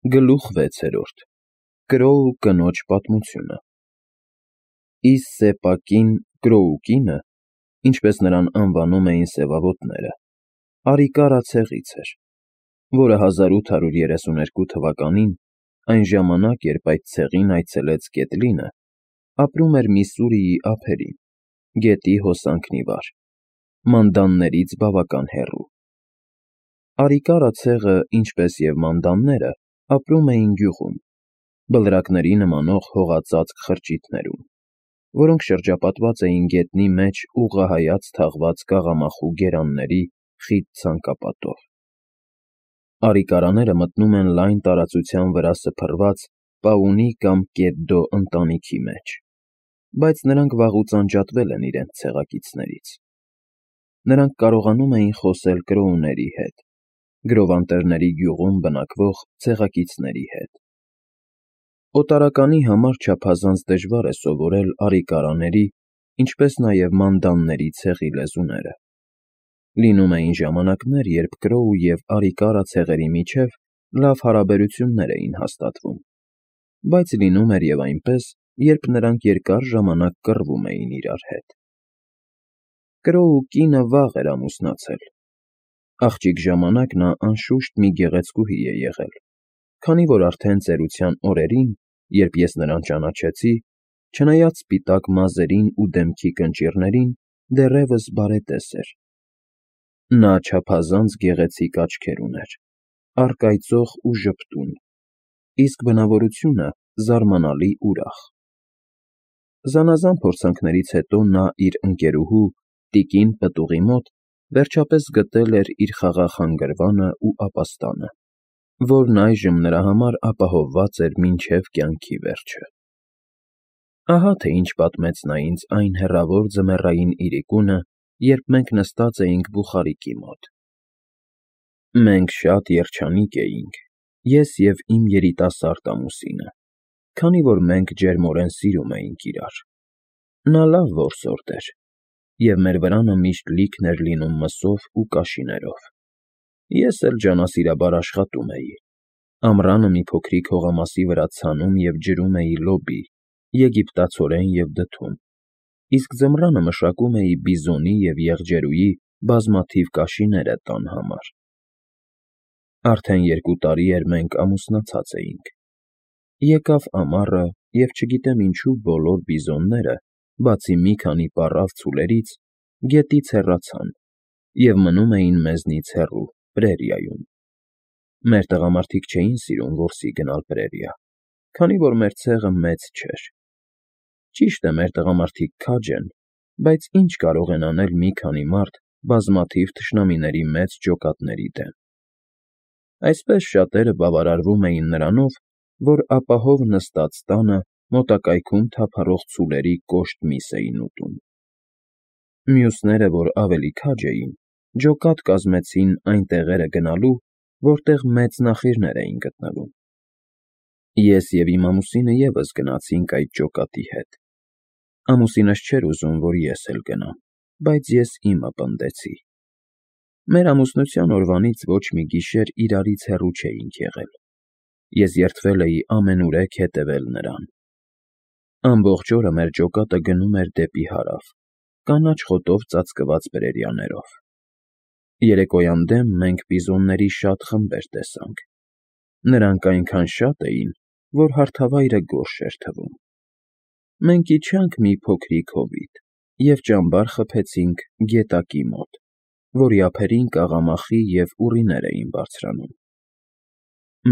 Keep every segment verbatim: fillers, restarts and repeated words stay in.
Գլուխ վեցերորդ Կրոու կնոջ պատմությունը Իսսեպակին Կրոու կինը, ինչպես նրան անվանում էին սևավոտները, Արիկարա ցեղից էր, որը հազար ութ հարյուր երեսուներկու թվականին, այն ժամանակ, երբ այդ ցեղին այցելեց Կետլինը, ապրում էր Միսսուրիի ափերին, գետի հոսանքն ի վար, Մանդաններից բավական հեռու։ Արիկարա ցեղը, ինչպես և Մանդանները, ապրում էին գյուղում, բլրակների նմանող հողածածկ խրճիթներում, որոնք շրջապատված էին գետնի մեջ ուղղահայաց թաղված կաղամախու գերանների խիտ ցանկապատով։ Արիկարաները մտնում են լայն տարածության վրա սփռված Պաունի կամ Կեդդո ընտանիքի մեջ, բայց նրանք վաղուց անջատվել են իրենց ցեղակիցներից։ Նրանք կարողանում էին խոսել կրոուների հետ, գրովանտերների գյուղում բնակվող ցեղակիցների հետ։ Օտարականի համար չափազանց դժվար է սովորել արիկարաների, ինչպես նաև մանդանների ցեղի լեզուները։ Լինում էին ժամանակներ, երբ Կրոու և Արիկարա ցեղերի միջև լավ հարաբերություններ էին հաստատվում, բայց լինում էր և այնպես, երբ նրանք երկար ժամանակ կռվում էին իրար հետ։ Կրոու կինը վաղ էր ամուսնացել։ Աղջիկ ժամանակ նա անշուշտ մի գեղեցկուհի է եղել, քանի որ արդեն ծերության օրերին, երբ ես նրան ճանաչեցի, չնայած սպիտակ մազերին ու դեմքի կնճիռներին, դեռևս բարետես էր։ Նա չափազանց գեղեցիկ աչքեր ուներ, առկայծող ու ժպտուն, իսկ բնավորությունը զարմանալի ուրախ։ Զանազան փորձանքներից հետո նա իր ընկերուհու՝ տիկին պտուղի մոտ վերջապես գտել էր իր խաղաղ հանգրվանը ու ապաստանը, որն այժմ նրա համար ապահովված էր մինչև կյանքի վերջը։ Ահա թե ինչ պատմեց նա ինձ այն հեռավոր ձմեռային իրիկունը, երբ մենք նստած էինք բուխարիկի մոտ։ Մենք շատ երջանիկ էինք, ես և իմ երիտասարդ ամուսինը, քանի որ մենք ջերմորեն սիրում էինք իրար։ Նա լավ որսորդ էր, և մեր վրանը միշտ լիքն էր լինում մսով ու կաշիներով։ Ես էլ ջանասիրաբար աշխատում էի, ամռանը մի փոքրիկ հողամասի վրա ցանում և ջրում էի լոբի, եգիպտացորեն և դդում, իսկ ձմռանը մշակում էի բիզոնի և եղջերուի բազմաթիվ կաշիները տան համար։ Արդեն երկու տարի էր մենք ամուսնացած էինք։ Եկավ ամառը, և չգիտեմ ինչու բոլոր բիզոնները, բացի մի քանի պառավ ցուլերից, գետից հեռացան և մնում էին մեզնից հեռու, պրերիայում։ Մեր տղամարդիկ չէին սիրում որսի գնալ պրերիա, քանի որ մեր ցեղը մեծ չէր։ Ճիշտ է, մեր տղամարդիկ քաջ են, բայց ինչ կարող են անել մի քանի մարդ բազմաթիվ թշնամիների մեծ ջոկատների դեմ։ Այսպես շատերը բավարարվում էին նրանով, որ ապահով նստած տանը մոտակայքում թափառող ցուլերի կոշտ միս էին ուտում։ Մյուսները, որ ավելի քաջ էին, ջոկատ կազմեցին այն տեղերը գնալու, որտեղ մեծ նախիրներ էին գտնվում։ Ես և իմ ամուսինը ևս գնացինք այդ ջոկատի հետ։ Ամուսինս չէր ուզում, որ ես էլ գնամ, բայց ես իմը պնդեցի։ Մեր ամուսնության օրվանից ոչ մի գիշեր իրարից հեռու չէինք եղել։ Ես երդվել էի ամենուրեք հետևել նրան։ Ամբողջ օրը մեր ջոկատը գնում էր դեպի հարավ, կանաչ խոտով ծածկված պրերիաներով։ Երեկոյան դեմ մենք բիզոնների շատ խմբեր տեսանք։ Նրանք այնքան շատ էին, որ հարթավայրը գորշ էր թվում։ Մենք իջանք մի փոքրիկ հովիտ և ճամբար խփեցինք գետակի մոտ, որի ափերին կաղամախի և ուռիներ էին բարձրանում։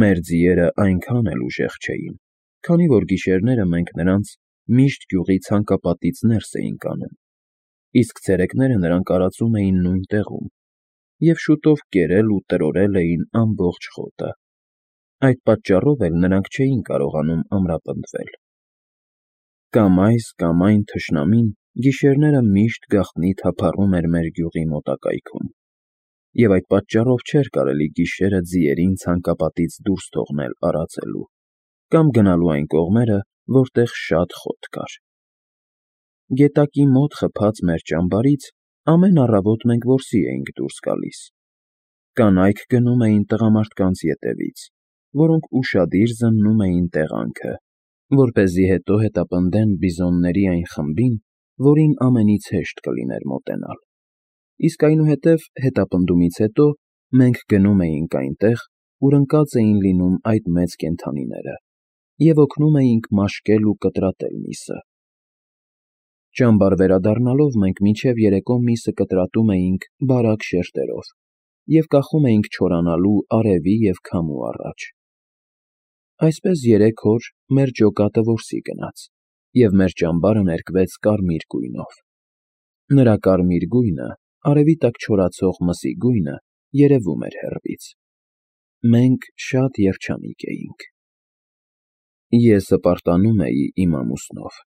Մեր ձիերը այնքան էլ ուժեղ չէին, քանի որ գիշերները մենք նրանց միշտ գյուղի ցանկապատից ներս էինք անում, իսկ ցերեկները նրանք արածում էին նույն տեղում և շուտով կերել ու տրորել էին ամբողջ խոտը։ Այդ պատճառով էլ նրանք չէին կարողանում ամրապնդվել։ Կամ այս, կամ այն թշնամին գիշերները միշտ գաղտնի թափառում էր մեր գյուղի մոտակայքում, և այդ պատճառով չէր կարելի գիշերը ձիերին ցանկապատից դուրս թողնել արածելու, կամ գնալու այն կողմերը, որտեղ շատ խոտ կար։ Գետակի մոտ խփած մեր ճամբարից ամեն առավոտ մենք որսի էինք դուրս գալիս։ Կանայք գնում էին տղամարդկանց ետևից, որոնք ուշադիր զննում էին տեղանքը, որպեսզի հետո հետապնդեն բիզոնների այն խմբին, որին ամենից հեշտ կլիներ մոտենալ։ Իսկ այնուհետև հետապնդումից հետո մենք գնում էինք այնտեղ, ուր ընկած էին լինում այդ մեծ կենդանիները, և օգնում էինք մաշկել ու կտրատել միսը։ Ճամբար վերադառնալով մենք մինչև երեկո միսը կտրատում էինք բարակ շերտերով և կախում էինք չորանալու արևի և քամու առաջ։ Այսպես երեք օր մեր ջոկատը որսի գնաց, և մեր ճամբարը ներկվեց կարմիր գույնով։ Նրա կարմիր գույնը, արևի տակ չորացող մսի գույնը, երևում էր հեռվից։ Մենք շատ երջանիկ էինք։ Ես հպարտանում էի իմ ամուսնով։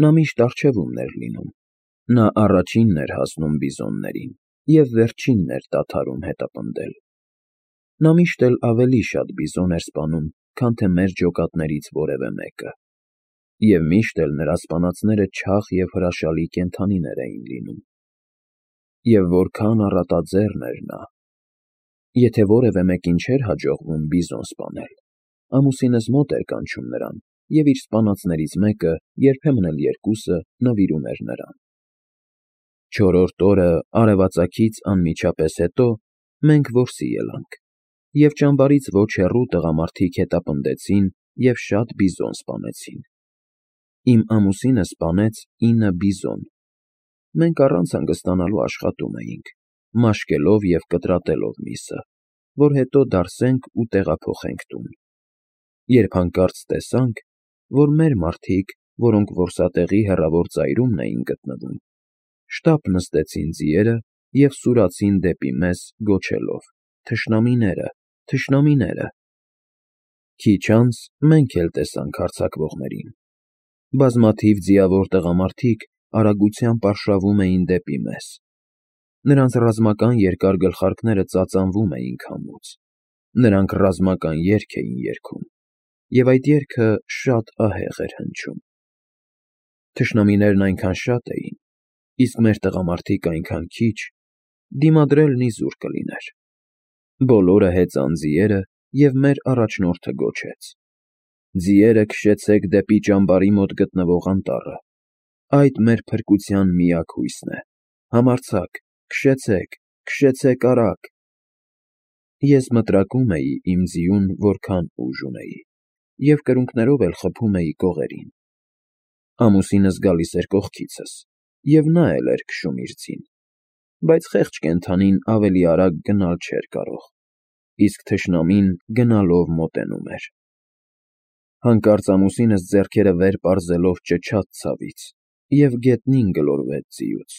Նա միշտ առջևումն էր լինում։ Նա առաջինն էր հասնում բիզոններին և վերջինն էր դադարում հետապնդել։ Նա միշտ էլ ավելի շատ բիզոն էր սպանում, քան թե մեր ջոկատներից որևէ մեկը, և միշտ էլ նրա սպանածները չաղ և հրաշալի կենդանիներ էին լինում։ Եվ որքան առատաձեռն էր նա։ Եթե որևէ մեկին չէր հաջողվում բիզոն սպանել, ամուսինս մոտ էր կանչում նրան և իր սպանածներից մեկը, երբեմն էլ երկուսը, նվիրում էր նրան։ Չորրորդ օրը արևածագից անմիջապես հետո մենք որսի ելանք, և ճամբարից ոչ հեռու տղամարդիկ հետապնդեցին և շատ բիզոն սպանեցին։ Իմ ամուսինը սպանեց ինը բիզոն։ Մենք առանց հանգստանալու աշխատում էինք, մաշկելով և կտրատելով միսը, որ հետո դարսենք ու տեղափոխենք տուն։ Երբ հանկարծ տեսանք, որ մեր մարդիկ, որոնք որսատեղի հեռավոր ծայրումն էին գտնվում, շտապ նստեցին ձիերը և սուրացին դեպի մեզ, գոչելով. «Թշնամիները, թշնամիները»։ Քիչ անց մենք էլ տեսանք հարձակվողներին։ Բազմաթիվ ձիավոր տղամարդիկ արագությամբ արշավում էին դեպի մեզ։ Նրանց ռազմական երկար գլխարկները ծածանվում էին քամուց։ Նրանք ռազմական երգ էին երգում, և այդ երգը շատ ահեղ էր հնչում։ Թշնամիներն այնքան շատ էին, իսկ մեր տղամարդիկ այնքան քիչ, դիմադրելն իզուր կլիներ։ Բոլորը հեծան ձիերը, և մեր առաջնորդը գոչեց. «Ձիերը, քշեցեք դեպի ճամբարի մոտ գտնվող անտառը։ Այդ մեր փրկության միակ հույսն է։ Համարձակ, քշեցեք, քշեցեք արագ»։ Ես մտրակում էի իմ ձիուն որքան ուժ ունեի, և կրունկներով էլ խփում էի կողերին։ Ամուսինս գալիս էր կողքիցս, և նա էլ էր քշում իր ձին, բայց խեղճ կենդանին ավելի արագ գնալ չէր կարող, իսկ թշնամին գնալով մոտենում էր։ Հանկարծ ամուսինս ձեռքերը վեր պարզելով ճչաց ցավից և գետնին գլորվեց ձիուց։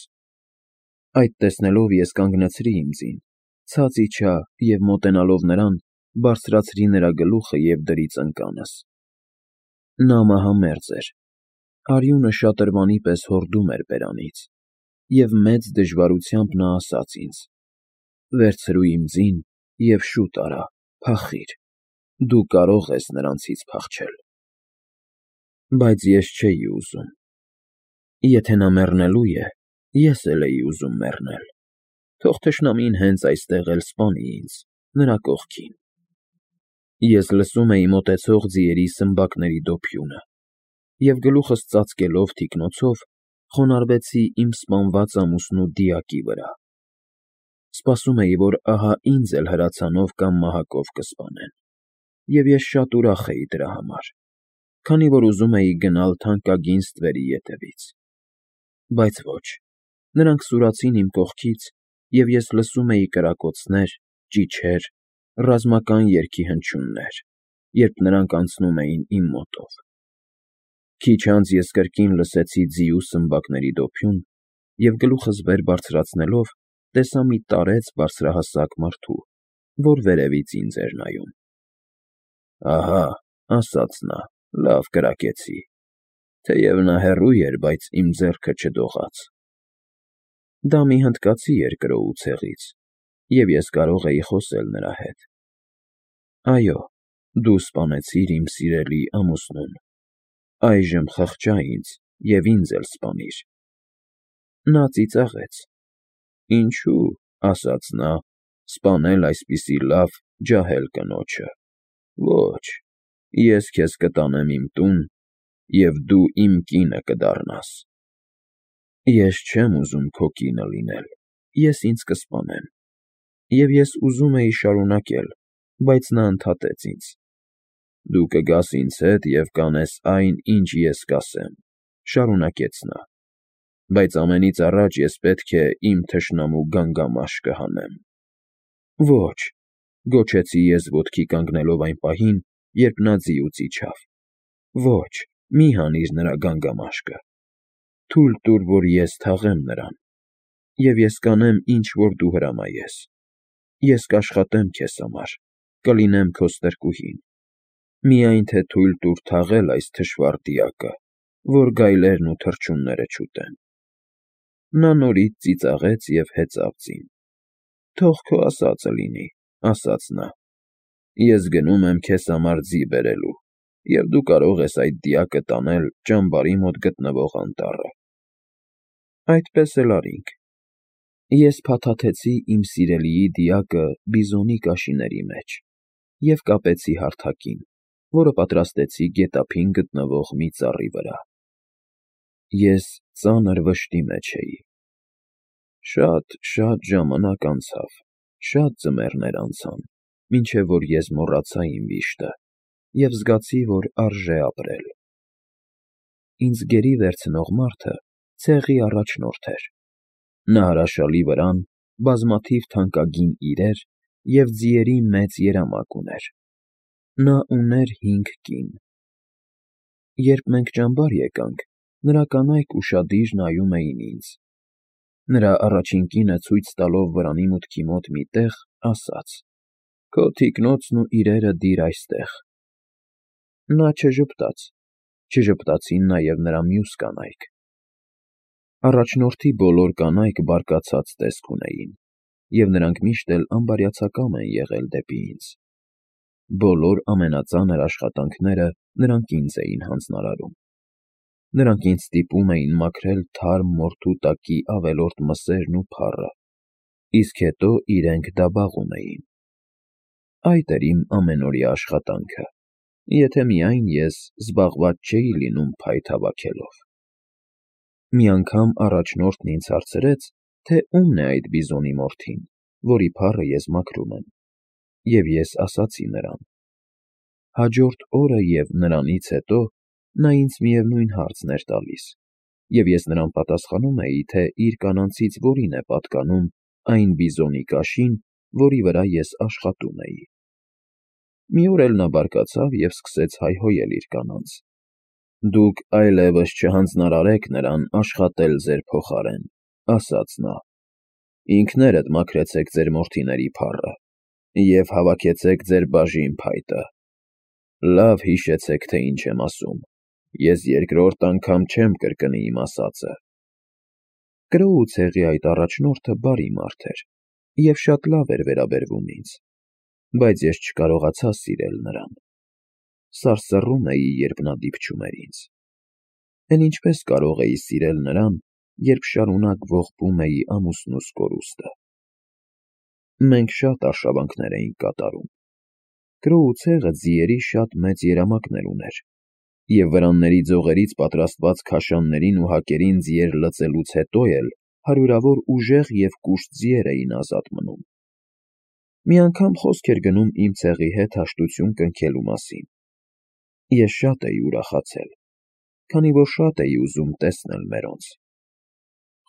Այդ տեսնելով ես կանգնեցրի իմ ձին, ցած իջա և մոտենալով նրան, բարձրացրի նրա գլուխը և դրի ծնկանս։ Նա մահամերձ էր, արյունը շատրվանի պես հորդում էր բերանից, և մեծ դժվարությամբ նա ասաց ինձ. «Վերցրու իմ ձին և շուտ արա, փախիր, դու կարող ես նրանցից փախչել»։ Բայց ես չէի ուզում։ Եթե նա մեռնելու է, ես էլ էի ուզում մեռնել, թող թշնամին հենց այստեղ էլ սպանի ինձ, նրա կողքին։ Ես լսում էի մոտեցող ձիերի սմբակների դոփյունը, և գլուխս ծածկելով թիկնոցով, խոնարհվեցի իմ սպանված ամուսնու դիակի վրա։ Սպասում էի, որ ահա ինձ էլ հրացանով կամ մահակով կսպանեն, և ես շատ ուրախ էի դրա համար, քանի որ ուզում էի գնալ թանկագին ստվերի ետևից։ Բայց ոչ, նրանք սուրացին իմ կողքից, և ես լսում էի կրակոցներ, ճիչեր, ռազմական երգի հնչյուններ, երբ նրանք անցնում էին իմ մոտով։ Քիչ անց ես կրկին լսեցի ձիու սմբակների դոփյուն և գլուխս վեր բարձրացնելով, տեսա մի տարեց բարձրահասակ մարդու, որ վերևից ինձ էր նայում։ «Ահա,» ասաց նա,֊ լավ կրակեցի, թեև նա հեռու էր, բայց իմ ձեռքը չդողաց։ Դա մի հնդկացի էր կրոու ցեղից, և ես կարող էի խոսել նրա հետ։ «Այո, դու սպանեցիր իմ սիրելի ամուսնուն, այժմ խղճա ինձ և ինձ էլ սպանիր»։ Նա ծիծաղեց։ «Ինչո՞ւ,» ասաց նա,֊ սպանել այսպիսի լավ, ջահել կնոջը։ Ոչ, ես քեզ կտանեմ իմ տուն, և դու իմ կինը կդառնաս։ Ես չեմ ուզում քո կինը լինել, ես ինձ կսպանեմ։ Եվ ես ուզում էի շարունակել, բայց նա ընդհատեց ինձ. Դու կգաս ինձ հետ և կանես այն, ինչ ես կասեմ, շարունակեց նա, բայց ամենից առաջ ես պետք է իմ թշնամու գանգամաշկը հանեմ։ Ոչ, գոչեցի ես ոտքի կանգնելով այն պահին, երբ նա ձիուց իջավ, ոչ, մի հանիր նրա գանգամաշկը, թույլ տուր, որ ես թաղեմ նրան, և ես կանեմ, ինչ որ դու հրամայես, ես կաշխատեմ քեզ համար, կլինեմ քո ստրկուհին, միայն թե թույլ տուր թաղել այս թշվառ դիակը, որ գայլերն ու թռչունները չուտեն։ Նա նորից ծիծաղեց և հեծավ ձին։ Թող քո ասածը լինի, ասաց նա, ես գնում եմ քեզ համար ձի բերելու, և դու կարող ես այդ դիակը տանել ճամբարի մոտ գտնվող անտառը։ Այդպես էլ արինք։ Ես փաթաթեցի իմ սիրելիի դիակը բիզոնի կաշիների մեջ և կապեցի հարթակին, որը պատրաստեցի գետափին գտնվող մի ծառի վրա։ Ես ծանր վշտի մեջ էի։ Շատ֊շատ ժամանակ անցավ, շատ ձմեռներ անցան, մինչև որ ես մոռացա իմ վիշտը և զգացի, որ արժե ապրել։ Ինձ գերի վերցնող մարդը ցեղի առաջնորդ էր։ Նա հրաշալի վրան, բազմաթիվ թանկագին իրեր և ձիերի մեծ երամակ ուներ։ Նա ուներ հինգ կին։ Երբ մենք ճամբար եկանք, նրա կանայք ուշադիր նայում էին ինձ։ Նրա առաջին կինը ցույց տալով վրանի մուտքի մոտ մի տեղ, ասաց. «Քո թիկնոցն ու իրերը դիր այստեղ»։ Նա չժպտաց, չժպտացին նաև նրա մյուս կանայք։ Առաջնորդի բոլոր կանայք բարկացած տեսք ունեին, և նրանք միշտ էլ անբարյացակամ են եղել դեպի ինձ։ Բոլոր ամենածանր աշխատանքները նրանք ինձ էին հանձնարարում։ Նրանք ինձ ստիպում էին մաքրել թարմ մորթու տակի ավելորդ մսերն ու փառը, իսկ հետո իրենք դա բաղում էին։ Այդ էր իմ ամենօրյա աշխատանքը, եթե միայն ես զբաղված չէի լինում փայտ հավաքելով։ Մի անգամ առաջնորդն ինձ հարցրեց, թե ումն է այդ բիզոնի մորթին, որի փառը ես մաքրում եմ, և ես ասացի նրան։ Հաջորդ օրը և նրանից հետո նա ինձ միևնույն հարցն էր տալիս, և ես նրան պատասխանում էի, թե իր կանանցից որին է պատկանում այն բիզոնի կաշին, որի վրա ես աշխատում էի։ Մի օր էլ նա բարկացավ և սկսեց հայհոյել իր կանանց. «Դուք այլևս չհանձնարարեք նրան աշխատել ձեր փոխարեն», ասաց նա, «ինքներդ մաքրեցեք ձեր մորթիների փառը և հավաքեցեք ձեր բաժին փայտը։ Լավ հիշեցեք, թե ինչ եմ ասում, ես երկրորդ անգամ չեմ կրկնի իմ ասածը»։ Կրոու ցեղի այդ առաջնորդը բարի մարդ էր և շատ լավ էր վերաբերվում ինձ, բայց ես չկարողացա սիրել նրան։ Սարսռում էի, երբ նա դիպչում էր ինձ։ Էն ինչպես կարող էի սիրել նրան, երբ շարունակ ողբում էի ամուսնուս կորուստը։ Մենք շատ արշավանքներ էինք կատարում։ Կրոու ցեղը ձիերի շատ մեծ երամակներ ուներ, և վրանների ձողերից պատրաստված քաշաններին ու հակերին ձիեր լցելուց հետո էլ հարյուրավոր ուժեղ և կուշտ ձիեր էին ազատ մնում։ Մի անգամ խոսք էր գնում իմ ցեղի հետ հաշտություն կնքելու մասին։ Ես շատ էի ուրախացել, քանի որ շատ էի ուզում տեսնել մերոնց։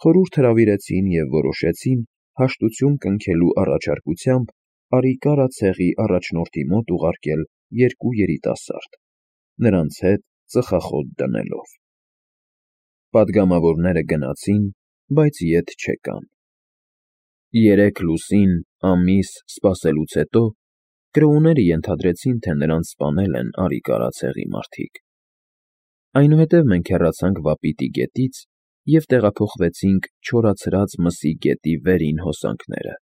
Խորհուրդ հրավիրեցին և որոշեցին հաշտություն կնքելու առաջարկությամբ Արիկարա ցեղի առաջնորդի մոտ ուղարկել երկու երիտասարդ, նրանց հետ ծխախոտ դնելով։ Պատգամավորները գնացին, բայց ետ չեկան։ Երեք լուսին, ամիս սպասելուց հետո կրոուները ենթադրեցին, թե նրանց սպանել են Արիկարա ցեղի մարդիկ։ Այնուհետև մենք հեռացանք Վապիտի գետից և տեղափոխվեցինք Չորացած մսի գետի վերին հոսանքները։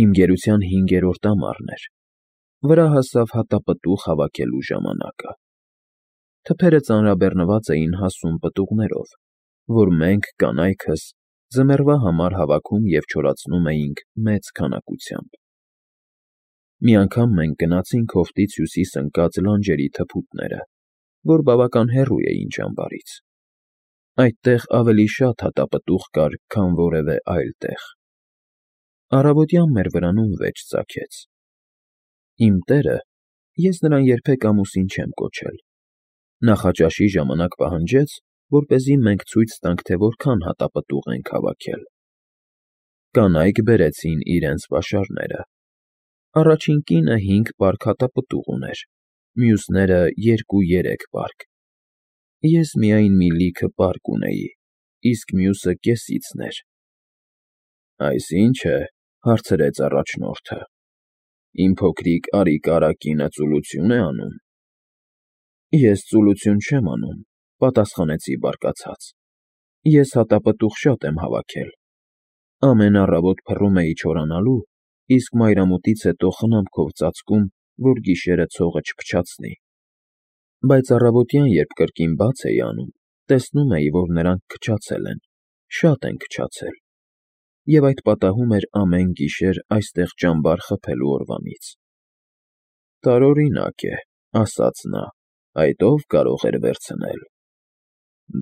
Իմ գերության հինգերորդ ամառն էր, վրա հասավ հատապտուղ հավաքելու ժամանակը։ Թփերը ծանրաբեռնված էին հասուն պտուղներով, որ մենք, կանայքս, ձմեռվա համար հավաքում և չորացնում էինք մեծ քանակությամբ։ Մի անգամ մենք գնացինք հովտից հյուսիս ընկած լանջերի թփուտները, որ բավական հեռու էին ճամբարից. այդտեղ ավելի շատ հատապտուղ կար, քան որևէ այլ տեղ։ Առավոտյան մեր վրանում վեճ ծագեց։ Իմ տերը (ես նրան երբեք ամուսին չեմ կոչել) նախաճաշի ժամանակ պահանջեց, որպեսզի մենք ցույց տանք, թե որքան հատապտուղ ենք հավաքել։ Կանայք բերեցին իրենց պաշարները։ Առաջին կինը հինգ պարկ հատապտուղ ուներ, մյուսները երկու֊երեք պարկ։ Ես միայն մի լիքը պարկ ունեի, իսկ մյուսը կեսիցն էր։ «Այս ի՞նչ է,֊ հարցրեց առաջնորդը,֊ իմ փոքրիկ արի֊կարա կինը ծուլություն է անում»։ «Ես ծուլություն չեմ անում,֊ պատասխանեցի բարկացած,֊ ես հատապտուղ շատ եմ հավաքել։ Ամեն առավոտ փռում էի չորանալու, իսկ մայրամուտից հետո խնամքով ծածկում, որ գիշերը ցողը չփչացնի։ Բայց առավոտյան, երբ կրկին բաց էի անում, տեսնում էի, որ նրանք քչացել են, շատ են քչացել, և այդ պատահում էր ամեն գիշեր այստեղ ճամբար խփելու օրվանից»։ «Տարօրինակ է,֊ ասաց նա,֊ այդ ո՞վ կարող էր վերցնել»։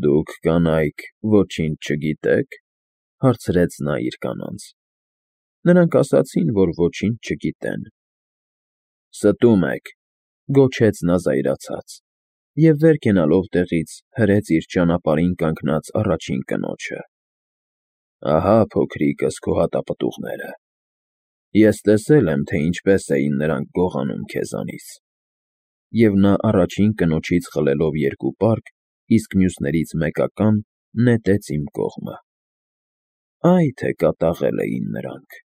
«Դուք, կանայք, ոչինչ չգիտե՞ք,֊ հարցրեց նա իր կանանց։ Նրանք ասացին, որ ոչինչ չգիտեն։ «Ստում եք,֊ գոչեց նա զայրացած, և վեր կենալով տեղից հրեց իր ճանապարհին կանգնած առաջին կնոջը։ «Ահա, փոքրիկս, քո հատապտուղները։ Ես տեսել եմ, թե ինչպես էին նրանք գողանում քեզանից»։ Եվ նա առաջին կնոջից խլելով երկու պարկ, իսկ մյուսներից մեկական, նետեց իմ կողմը։ Այ թե կատաղել էին նրանք։